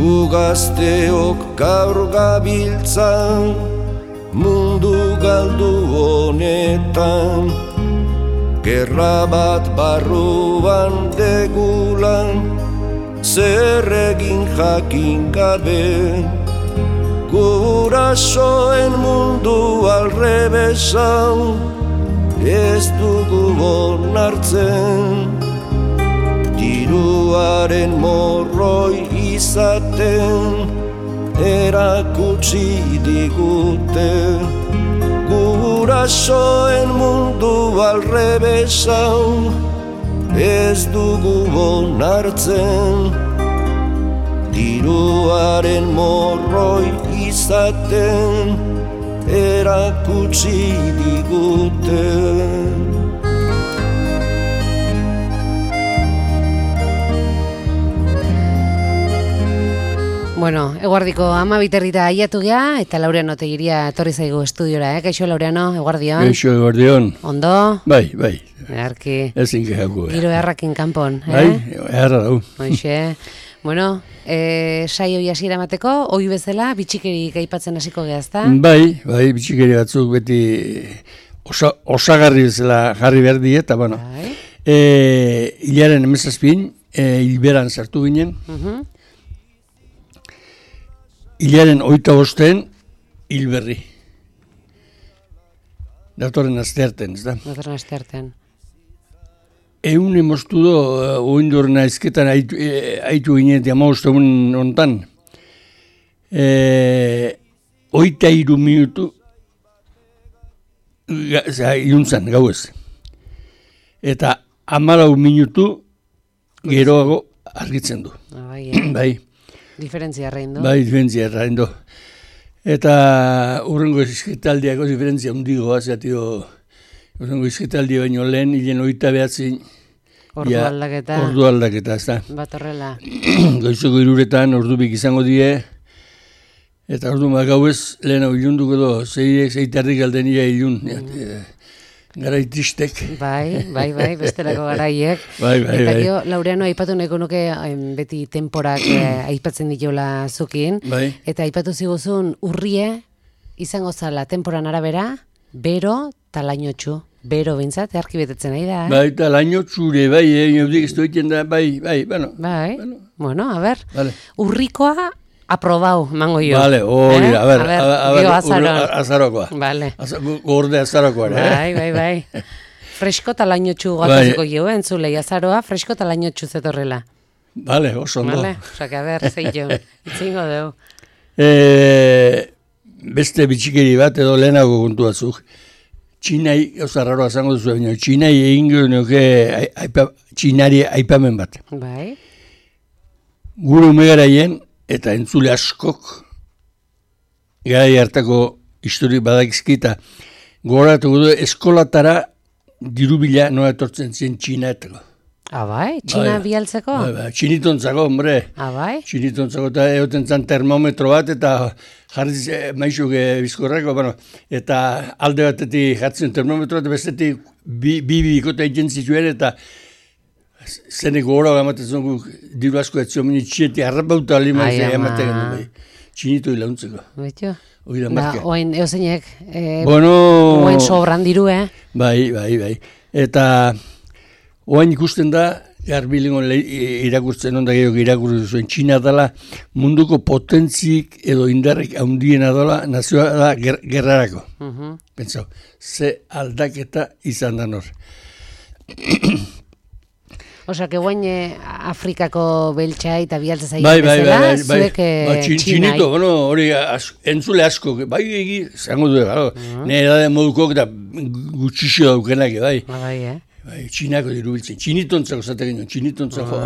gu gazteok gaur gabiltza mundu galdu honetan, gerra bat barruan degulan, zer egin jakin gabe, gurasoen mundu alrebesau, ez dugu onartzen, diruaren morroi izaten, erakutsi digute, gurasoen mundu alrebesau, ez dugu onartzen, diruaren morroi izaten, erakutsi digute. Bueno, eguardiko 12 aiatu gea, eta Laureano Tegiria etorri zaigu estudiora, Kaixo Laureano, eguardion. Kaixo, eguardion. Ondo? Bai. Earki. Ezin kehako. Giro errakin kanpon, Bai, erra dau. Hoxe. Bueno, saio hasiera emateko, ohi bezala, bitxikerik aipatzen hasiko gea, ezta? Bai, bitxikeri batzuk beti osagarri bezala jarri behar die, eta bueno. Bai. Hilaren 17, hilberan sartu ginen. Hilaren 25, hilberri. Datorren astearten, ez da? Datorren astearten. Egun emoztu do, oindurren aizketan haitu ginen, diamaustu egun ontan. 23 minutu iluntzan, gauez. Eta 14 minutu geroago argitzen du. Bai. Diferentzia arrein do. Bai, diferentzia arrein do. Eta urrengo izketaldiako diferentzia hundigoa, zeatio urrengo izketaldi baino lehen, hilen 29 ordu aldaketa. Ordu aldaketa, ez da. Bat horrela. Goizoko 3 ordubik izango die, eta ordu gauez lehen hau ilunduko do, 6 galdenia ilun. Garai tristek. Bai, bestelako garaiek. Bai. Eta gero, Laureano, aipatu nahiko nuke beti temporak aipatzen ditola zukin. Bai. Eta aipatu ziguzun urrie izango zala temporan arabera, bero eta lainotxu. Bero bintzat, earki betetzen nahi da, Bai, eta lainotxure, bai, jaudik ez doiten da, bai, bueno. Bai, bueno, a ber, Vale. Urrikoa aprobau, mango jo. Vale, hori, a ber, azarokoa. Vale. Gorde azarokoa, Bai. Fresko eta lainotxu gatozuko jo, entzulei azaroa, fresko eta lainotxu zetorrela. Vale, oso ondo. Vale, osake, a ber, zeitxo, itzingo deu. Beste bitxikeri bat edo lehenago kontu batzuk. Txinai, oza raroa zango duzu, txinai egingo nuke txinari aipamen bat. Bai. Gure umegaraien, eta entzule askok, garai hartako histori badakizkita, gogoratu du eskolatara dirubila nola etortzen zien txinaetako. Bai? Txina bialtzeko? Bai, txinitontzako, hombre. Bai? Txinitontzako, eta egoten zan termometro bat, eta jarriz maizuk bizkorrako, bueno, eta alde batetik jartzen termometro bat, bestetik bikota egin zituen, eta zeneko gora ematen zongu diru asko etzio meni txietik harrapauta alimaz ematen gendu. Txinitu hilauntzeko. Betxo? Hoi da marka. Oain eozeinek, oain sobran diru, Bai. Eta oain ikusten da, garbilingon irakurtzen onda gehiago irakurtzen zuen, Txina dela munduko potentzik edo indarrik handiena dela nazioa da gerrarako. Pentsau, ze aldaketa izan da nor. Osa, que guain Afrikako beltxa eta bialtza zaila bezala, zuek Txinai. Bueno, hori entzule asko, bai egi, zango du, nire da moduko eta gutxixo daukenak, bai. Bai, Txinako dirubiltzen, txinitontzako zaten ginen, txinitontzako,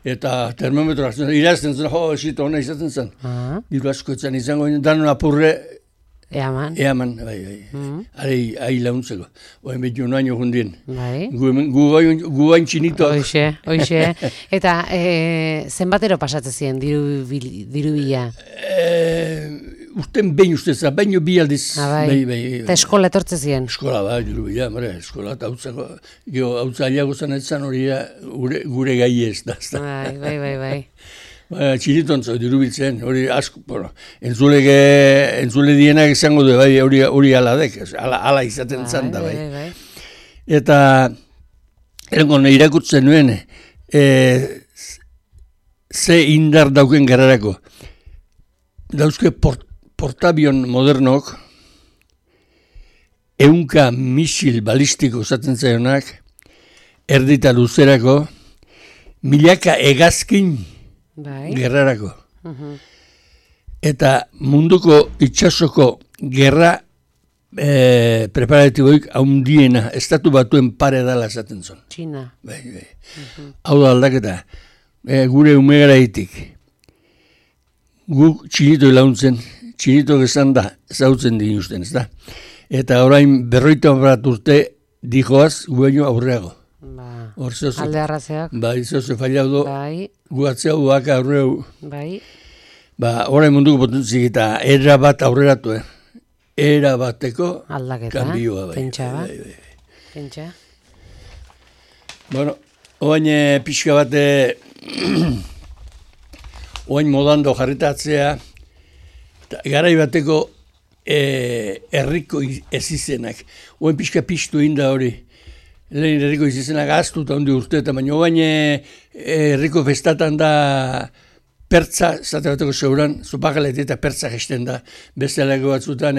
eta termometro hartzen, irazten zen, esito hona izaten zen. Diru asko etzan izango ginen, danon apurre, Eaman, bai. Ari launtzeko. Oen betu noaino jundien. Bai. Gu gain txinito. Hoxe. Eta zenbatero pasatzen ziren diru bila? Urten behin ustez, baino bi aldiz. Bai. Eta eskola etortzen ziren? Eskola, bai, diru bila, eskola eta hautzako. Hautza aliago zan etzan hori gure gai ez da. Bai. Txinitontzo dirubiltzen, hori asko, bueno, entzule dienak izango du, bai, hori aladek, ala izaten zan da, bai. Eta, erango, irakurtzen nuen, ze indar dauken gerrarako. Dauzke portabion modernok, 100 misil balistiko zaten zaionak, erdita luzerako, milaka hegazkin gerrarako. Eta munduko itxasoko gerra preparatiboik haundiena, estatu batuen pare dala esaten zon. Txina. Bai. Hau da aldaketa, gure umegaraitik. Guk txinito ilauntzen, txinito gezan da, zautzen dinuzten, ez da? Eta orain 50 urte dijoaz gueño aurreago. Alde arrazeak. Bai, zoze fallaudo, guatzea uaka aurreu. Bai. Orain munduko potentzik eta era bat aurreratu, Era bateko aldaketa, kanbioa, bai. Pentsa. Bueno, oain pixka bate, oain modando jarritatzea, garai bateko herriko ezizenak. Oen pixka pixtu inda hori. Lehen herriko ezizenak aztuta ondi urte, baina oain herriko festatan da pertza, zate bateko zeuran, zupakalet eta pertza gesten da. Beste alako batzutan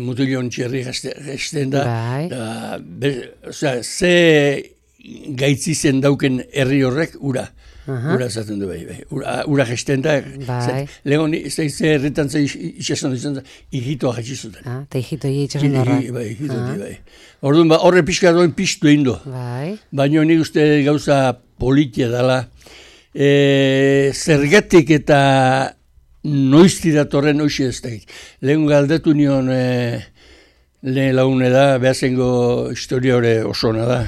mutilion txerri gesten da. Osea, ze gaitzizen dauken herri horrek, ura. Ura zaten du bai. Ura gesten da. Lehen ze herritan ze itxason izan da, hijitoa jetxizuten. Eta hijitoi itxason horra. Bai, hijitoi, bai. Orduan, horre pixka doen pixtu egin du. Baina nik uste gauza politia dela. Zergatik eta noizti datorren hoxe ez da. Lehen galdetu nion lehen laune da, behazengo historia hori osona da.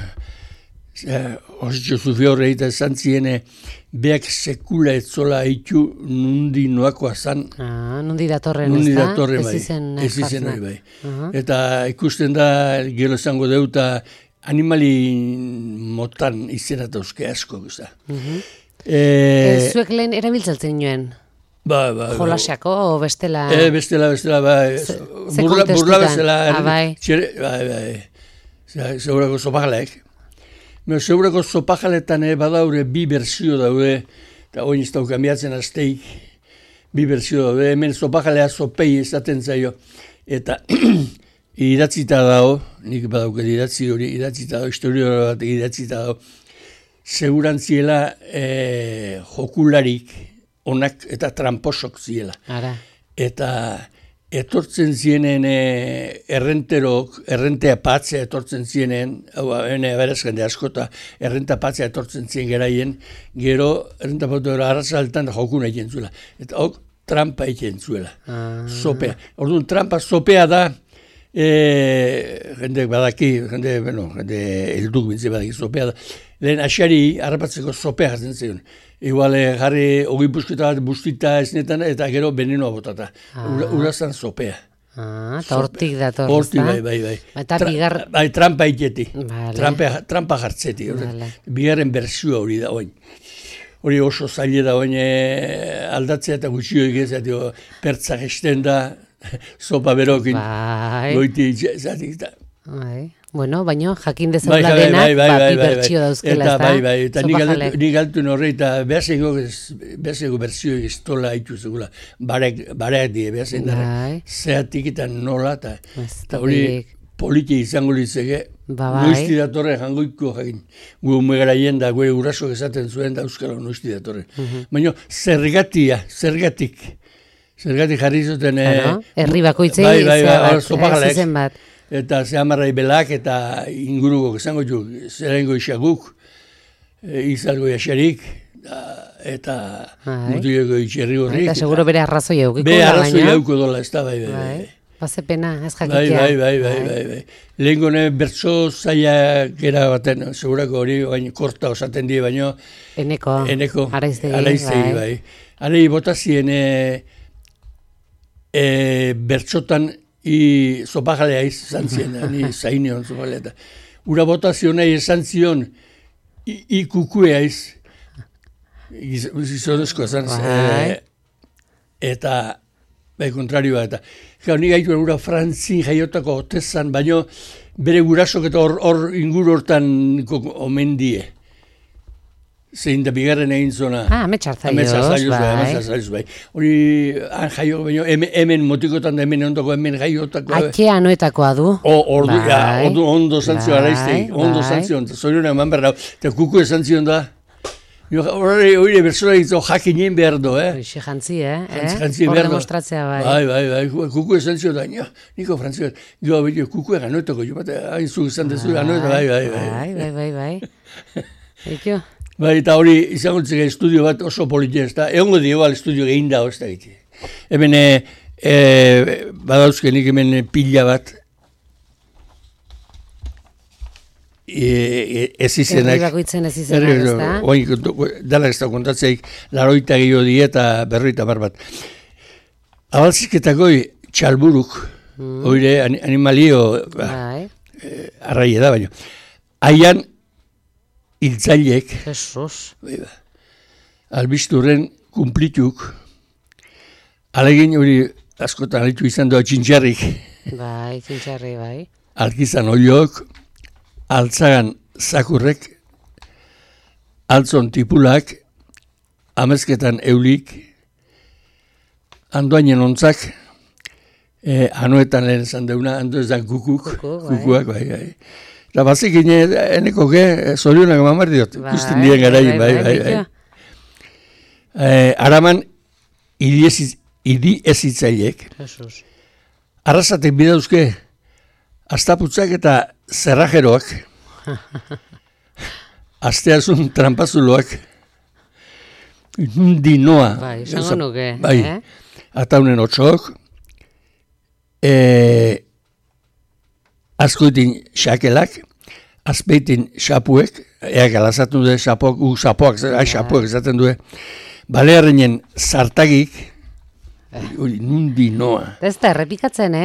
Ositxo zufio horre eta esan ziene beak sekula etzola haitu nundi noakoa zan. Nundi datorren ez da? Ez izen hori bai. Eta ikusten da, gero esango deuta, animali motan izena dauzke asko. Zuek lehen erabiltzatzen nuen? Jolasiako o bestela? Bestela, bai. Burla bestela. Bai. Segurako zopagaleek. Segurako zopajaletan badaure bi berzio daude, eta oin ez dauk ambiatzen azteik, bi berzio daude, hemen zopajalea zopei ezaten zaio, eta idatzita dago, nik badauket idatzi hori, idatzita dago, historia bat idatzita dago, segurantziela jokularik onak eta tramposok ziela. Eta etortzen zienen errentea patzea etortzen zienen, hau beraz jende askota, errenta patzea etortzen zien geraien, gero errenta patzea arrazaltan jokun egiten zuela. Eta hok trampa egiten zuela, sopea. Orduan, trampa sopea da, jende badaki, jende helduk bintze badaki sopea da, lehen asari harrapatzeko sopea jartzen zion. Igual jarri hogei pusketa bat bustita esnetan eta gero venenoa botata. Urazan sopea. Eta hortik dator. Hortik, bai. Eta bigar... Bai, trampa iketi. Trampa jartzeti. Bigarren berzioa hori da oin. Hori oso zaila da oin aldatzea eta gutxio egizat, pertza gesten da, sopa berokin. Goiti zatik da. Bueno, baina jakin dezagula denak, bi bertsio dauzkela, ez da? Bai, eta nik galtuen horre, eta behazeko bertsio estola haitu zegula, bareak die, behazen dara, zeatik eta nola, eta hori politia izango litzeke, noizti datorre jangoiko jakin, gu umegaraien da, gure urrasok esaten zuen da euskara noizti datorre. Baina zergatik jarri zuten... Herri bakoitzei, zizen bat. Eta zehamarrai belak eta ingurugok esango jo, zerengo isaguk, izalgo jaxarik, eta mutileko itxerri horrik. Eta seguro bere arrazoi eukiko da, baina? Bere arrazoi euko dola, ez da, bai. Baze pena, ez jakitea. Bai. Lehen gone bertso zaila gera baten, segurako hori, baina korta osaten die, baina... Eneko, araiztegi, bai. Arei botazien bertsotan zopajalea izan ziren, ni zainion zopajalea. Ura botazio nahi esan zion ikukue aiz. Gizonezkoa zan. Eta, kontrarioa, eta. Ni gaitu gura Frantzin jaiotako otezan, baino bere gurasok eta hor inguru hortan omen die. Zein da bigarren egin zona. Ametxartzaioz, bai. Hori, han jaio, baino, hemen motikotan da hemen ondoko, hemen jaiotako. Atzea noetakoa du. Ondo zantzio araizteik, ondo zantzio, zoriona eman behar da, eta kuku ezantzion da. Hori bersora egitzo jakinien behar do, Hoxe jantzi, Jantzi hor behar do. demostratzea, bai. Bai, kuku ezantzio da, niko frantzio, gero beti kuku eganoetako, jo bat, hain zu izan dezu eganoeta, Bai. Eikio? Bai, eta hori izango zega estudio bat oso politia ez da, egongo dio estudio egin da, ez da egite. Hemen, badauzkenik hemen pila bat, ez izenak. Herri bakoitzen ez izenak, ez da? Dala ez da kontatzeik, 80 gehiago die eta 50 bat. Abalzizketakoi txalburuk, oire animalio, arraie da baino. Haian, hiltzaileek, albisturren kumplituk, alegin hori askotan alitu izan doa txintxarrik. Bai, txintxarri, bai. Alkizan oiok, altzagan zakurrek, altzon tipulak, amezketan eulik, andoainen ontzak, anuetan lehen esan deuna, ando ez da kukuak, bai. Eta bazik eneko zorionak mamar diot, ikusten dien garain, bai. Araman, idi ezitzaileek. Arrasatek bidauzke, astaputzak eta zerrajeroak, asteazun trampazuloak, dinoa. Bai, izango nuke. Bai, ataunen otxok, askoitin xakelak, azpeitin xapuek, alazatu du xapoak esaten du, balearrenen zartagik, nundi noa. Ez da errepikatzen,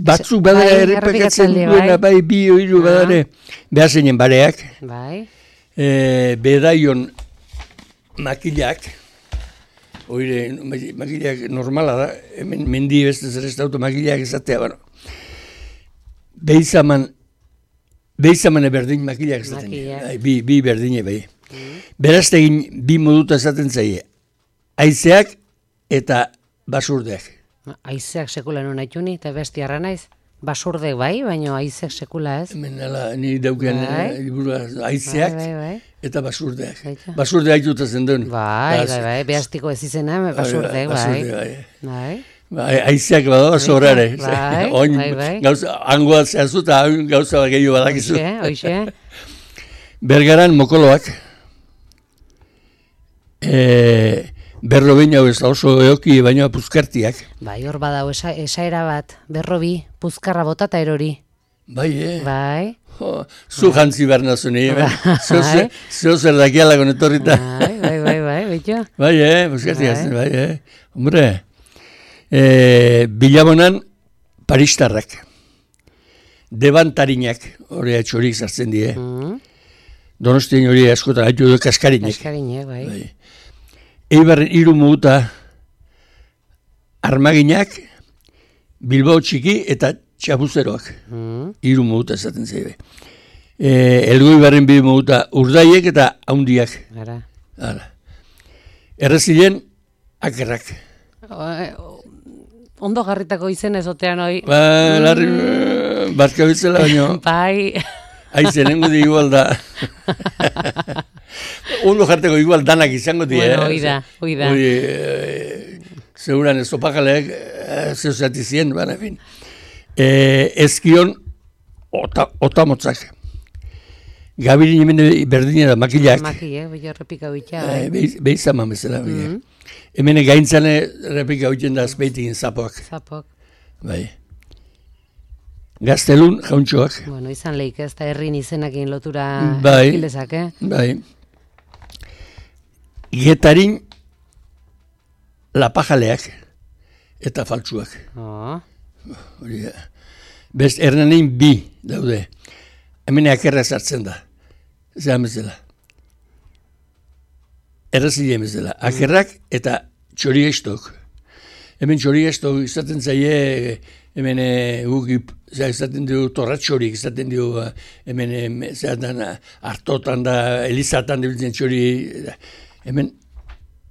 Batzuk badara errepikatzen duena, bai, bi oiru badare, behazeinen bareak, bedaion makilak, oire, makilak normala da, mendi beste zer ez dautu makilak ezatea, bueno, Behizaman berdin makilak esaten. Bi berdine bai. Beraztegin bi moduta esaten zaie. Haizeak eta basurdeak. Haizeak sekula non haituni, eta bestiarra naiz. Basurdek bai, baina haizeak sekula ez. Hemen ni dauken haizeak eta basurdeak. Basurdeak haitutazen duen. Bai, behaztiko ez izena, basurdek bai. Haizeak badago zorare. Hangoa zehazu eta gauza gehiago badakizu. Hoxe. Bergaran mokoloak. Berrobi hau ez da oso eoki baina puzkartiak. Bai, hor badau esaera bat. Berrobi, puzkarra bota eta erori. Bai, Bai. Zu jantzi behar nazuni, zeo zer dakialako netorrita. Bai, betxo. Bai, puzkartiak, bai, hombre. Bilabonan paristarrak, debantarinak, hori atxorik zartzen die, Donostien hori askotan haitu du kaskarinek. Bai. Eibarren 3 muguta armaginak, Bilbao txiki eta txapuzeroak, 3 muguta esaten zeibe. Elgoi barren 2 muguta urdaiek eta haundiak. Errezilen akerrak. Ondo garritako izen ezotean hoi. Larri, barka bitzela baino. Bai. Aizenengo di igual da. Ondo jarteko igual danak izango di. Bueno, oida. Seguran ez opakaleak zeuzati zien, baina fin. Ezkion otamotzak. Gabirin hemen berdine da makilak. Makilak, bai errepika bitxa. Behizaman bezala. Hemen gaintzane errepika bitxen da azpeitikin zapoak. Bai. Gaztelun jauntxoak. Bueno, izan lehik ez da herrin izenakin lotura hilezak, Bai. Getarin lapajaleak eta faltsuak. Best, ernanein 2 daude. Hemen akerra sartzen da. Zean bezala. errazile bezala. Akerrak eta txorigestok. Hemen txorigestok izaten zaie, hemen guk izaten dugu torratxorik, izaten dugu hemen hartotan da, elizatan dibiltzen txori, hemen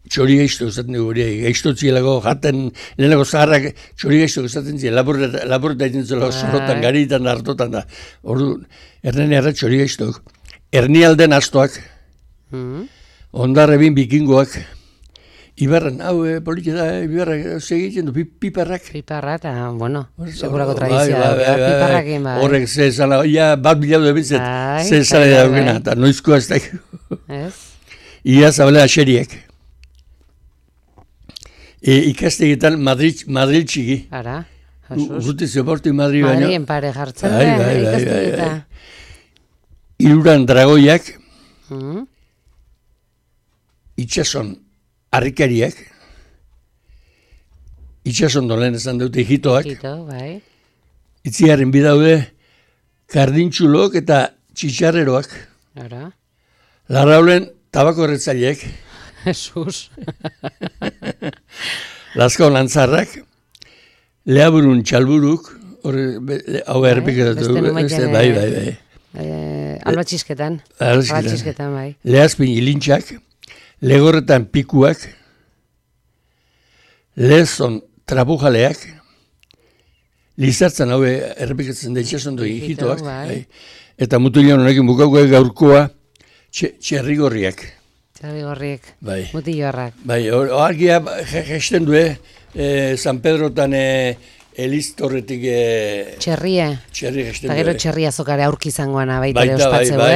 txori gaizto izaten dugu hori, gaiztotzielako jaten, lehenako zaharrak txori gaizto izaten ziren, laboreta egiten zela zorotan, garitan da, hartotan da. Ordu, erren erra txori gaiztok. Ernialden astoak, ondarrebin bikingoak, Ibarran, hau, politia da, Ibarrak segiten du, piparrak. Piparrak, eta, bueno, segurako tradizioa da, piparrakin, bai. Horrek, ze zala, bat bilau da bintzet, ze zala da dugena, eta noizkoa ez da. Ez? Ia zabale aseriek. Ikastegetan Madrid txiki. Ara, jasuz. Urruti zeportu Madrid baino. Madrien pare jartzen da, ikastegetan. Iruran dragoiak, itxason, harrikariak, itxason dolen esan dute hitoak, bai. Itziarren bidaude kardintxulok eta txitxarreroak, larraulen tabako erretzaileak, Jesus. Lazkao lantzarrak, leaburun txalburuk, hau errepiketatu, bai. Albatxisketan, bai. Lehazpin ilintxak, legorretan pikuak, lehezon trabujaleak, lizartzen hau errepikatzen da itxason doi hitoak, eta mutulian honekin bukauko gaurkoa txerrigorriak. Txerrigorriak, mutilloarrak. Bai, argia gesten du, San Pedrotan Eliztorretik txerria. Txerria gesten du. Eta gero txerria zokare aurki zangoana baita ere ospatzeu, Bai.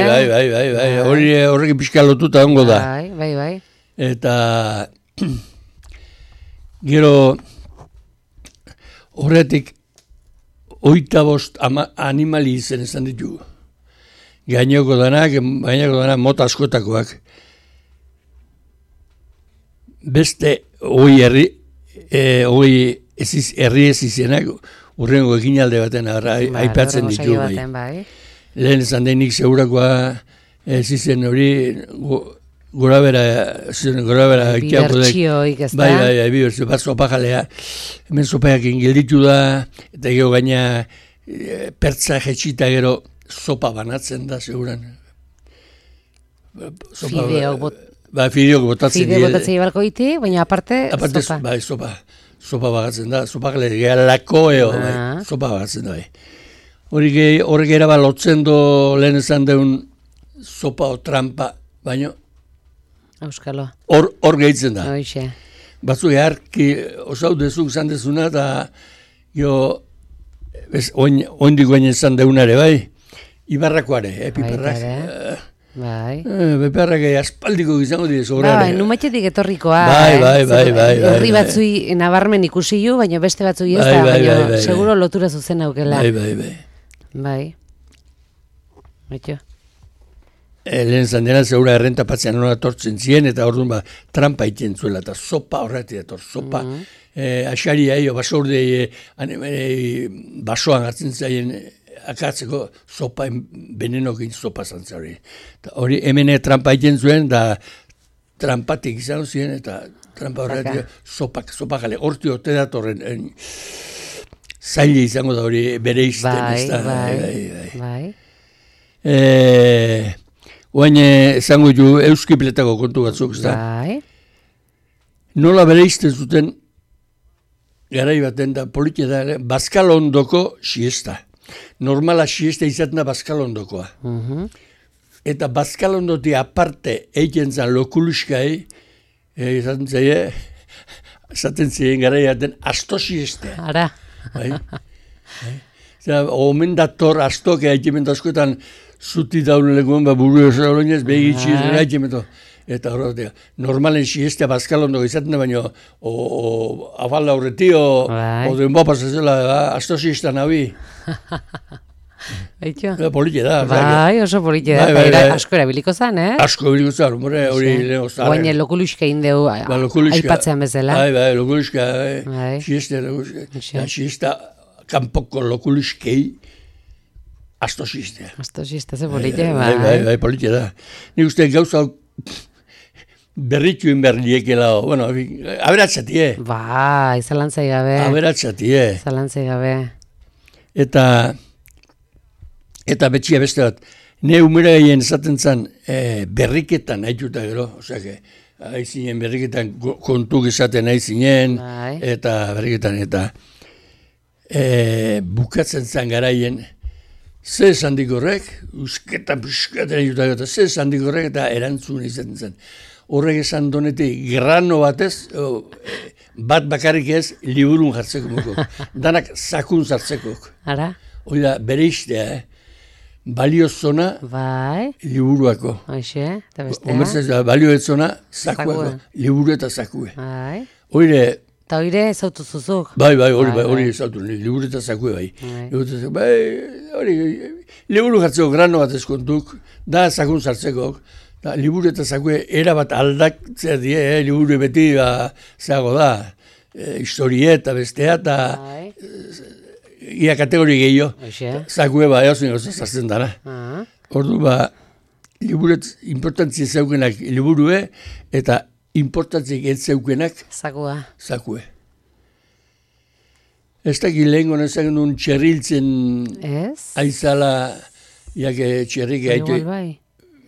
Horrekin pixka lotuta ongo da. Bai. Eta gero horretik 25 animali izen esan ditu. Gaineko danak mota askotakoak. Beste herri ez izenak urrengo eginalde baten aipatzen ditu. Lehen esan denik segurakoa ez izen hori gora bera bibertxioik ez da? Bai, bibertxio, bat sopajalea. Hemen sopajakin gelditu da, eta gero gaina pertza jetxita gero sopa banatzen da, seguran. Fideok botatzen. Fideo botatzen ibarko iti, baina aparte sopa. Bai, sopa bagatzen da, sopajale, gara lakoeo, sopa bagatzen da, bai. Horrek eraba lotzen do lehen esan deun sopa o trampa, baina Euskalo. Hor gehitzen da. Hoixe. Batzu eharki osau dezuk zan dezuna, eta oindik guainen zan deunare, bai? Ibarrakoare, piparrak. Bai. Piparrak aspaldiko gizango dire sobrare. Bai, numatxetik etorrikoa. Bai. Herri batzui nabarmen ikusi ju, baina beste batzui ez da, baina seguro lotura zuzen aukela. Bai. Baitxo. Lehen zandena zeura errentapatzean hona tortzen ziren, eta orduan trampa iten zuela, eta sopa horretik dator, sopa. Asaria, basordei basoan hartzen zaien akatzeko sopa, benenokin sopa zantzari. Hori hemen trampa iten zuen, da trampatik izan ziren, eta trampa horretik sopa jale. Horti orte datorren zaile izango da hori bere izten. Bai. Oain zango ju euskipletako kontu batzuk, ez da? Bai. Nola bere izten zuten, garai baten da, politia da, Bazkalondoko siesta. Normala siesta izaten da Bazkalondokoa. Eta Bazkalondoti aparte egiten zan lokuluskai, esaten ziren garai baten, asto siesta. Ara. Omen dator astok egiten askotan, zuti daun legoen, buru esaronez, begitxiz, egiten. Eta horretik, normalen siestea Bazkalondoko izaten da, baina afalda horreti, o den bopas ezela, asto siestan habi. Baitxo? Politia da. Bai, oso politia da, eta asko erabiliko zan, Asko erabiliko zan, hori lehen ozaren. Guaine lokuluska indeu aipatzean bezala. Bai, lokuluska, siesta kanpoko lokuluskei, asto siestea. Asto siestea, ze politia, bai. Bai, politia da. Nik uste gauza berrituen berriekela, bueno, aberatxatie. Bai, zalantzai gabe. Aberatxatie. Zalantzai gabe. Eta betxia beste bat, ne umera gehien esaten zen berriketan haituta gero, osea, haizinen berriketan kontuk esaten haizinen, eta berriketan, eta bukatzen zen garaien, ze esan dikorrek, usketan puskaten haituta gero, ze esan dikorrek, eta erantzun izaten zen. Horrek esan donetik, grano batez, bat bakarrik ez, liburun jartzeko muko. Danak zakun zartzeko. Ara? Hoi da, bere istea, baliozona liburuako. Hoxe, eta bestea. Omertzaz da, balioetzona zakuako. Liburu eta zakue. Hoire... Eta hoire ezautu zuzuk. Bai, hori ezautu, liburu eta zakue bai. Hori, liburu jartzeko grano bat ezkontuk, da zakun zartzeko. Liburu eta zakue erabat aldatzea die, liburu beti zeago da, historie eta bestea, eta ia kategori gehiago, zakue eozien gauza zartzen dara. Ordu liburet importantzia zeukenak liburue, eta importantziak ez zeukenak zakue. Ez dakit lehen gonezak nun txerriltzen aizala, jake txerrik gaitu.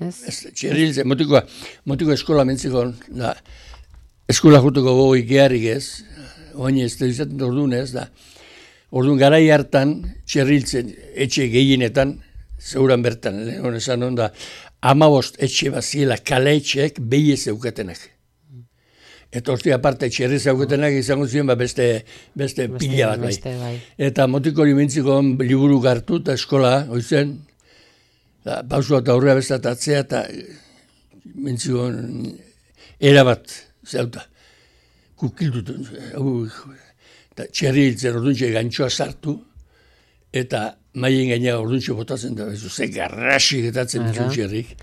Txerriltzen, motiko eskola mentziko, eskola jutuko gogo ikearik ez, oin ez da izaten orduan ez da. Orduan garai hartan txerriltzen etxe gehienetan, zeuran bertan, lehen esan onda, 15 etxe baziela kale etxeek behi ez eukatenak. Eta horti aparte txerri zeukatenak izango ziren beste pila bat bai. Eta motiko hori mentziko liburu gartu eta eskola, oizen, pausua eta aurrea bestat atzea eta mentziko erabat zeuta. Kukildutu. Eta txerri hiltzen orduntxe gantxoa sartu eta maien gaina orduntxe botatzen da. Ze garrasi getatzen ditu txerrik.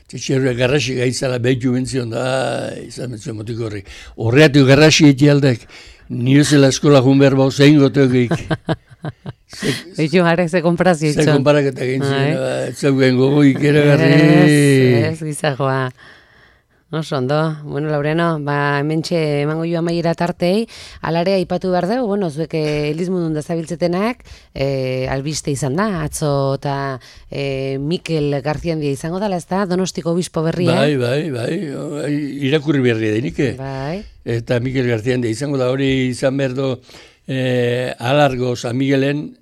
Txerriak garrasi gaitzala behitu mentzion da, izan mentzion motiko horrek. Horreatu garrasi eti aldek, niozela eskola junber bau zein goteokik. Behitu jarek ze konprazio itxon. Ze konparak eta gintzen, zeugen gogo ikeragarri. Ez gizajoa. Oso ondo, bueno, Laureano, hementxe emango jo amaiera tartei, alarea aipatu behar dugu, bueno, zuek elizmundun da zabiltzetenak, albiste izan da, atzo eta Mikel Garziandia izango dela, ez da, Donostiko obispo berria. Bai, irakurri berria denike. Bai. Eta Mikel Garziandia izango da, hori izan behar du, alargo San Miguelen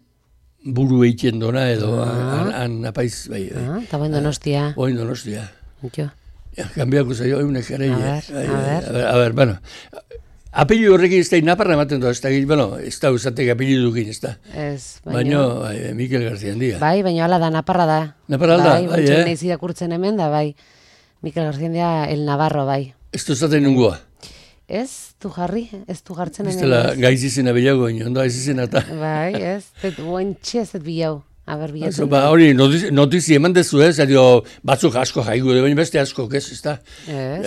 buru eitien dona, edo, han apaiz, bai. Eta boin Donostia. Boin Donostia. Jo. Kambiako zaio, eunek ere. A ber, bueno. Apelio horrekin ez da naparra ematen da, ez da usatek apelio dukin, ez da. Ez, baina. Mikel Garziandia. Bai, baina hala da, naparra da. Naparra da, bai. Bai, nahiz irakurtzen hemen da, bai. Mikel Garziandia, el Navarro, bai. Ez du zaten nungua. Ez, du jarri, ez du jartzen hemen. Ez dela gaiz izena bilago, ondo ez izena eta. Bai, ez, ointxe ez bilau. Hori, notizi eman dezu ez, batzuk asko jaigu, baina beste asko, ez da?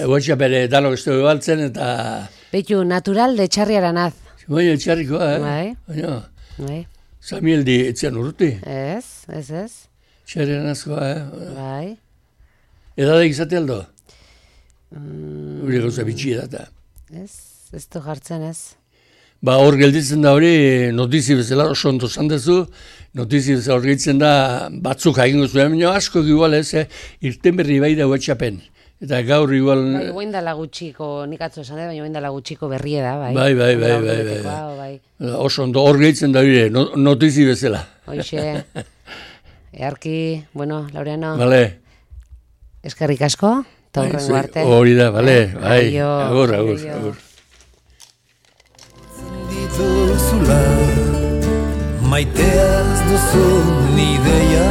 Guatxa bere danok ez dugu baltzen eta... Beitu, natural de txarriaranaz. Baina, txarrikoa, Bai. Samuel di etzian urruti. Ez. Txarriaranazkoa, Bai. Edadek izate aldo? Hori gauza bitxia da. Ez du jartzen ez. Hor gelditzen da hori, notizi bezala oso ondo zandezu, notizi bezala hor gelditzen da batzuk hagingo zuen, baina asko igual ez, irten berri bai da huetxapen. Eta gaur igual... Bai, oin dala gutxiko, nik atzo esan baina oin dala gutxiko berrie da, bai. Bai. Oso ondo hor gelditzen da hori, notizi bezala. Hoxe, earki, bueno, Laureano. Bale. Eskerrik asko, eta horrengo arte. Hori da, bale, bai. Agur. Maiteaz duzun ideia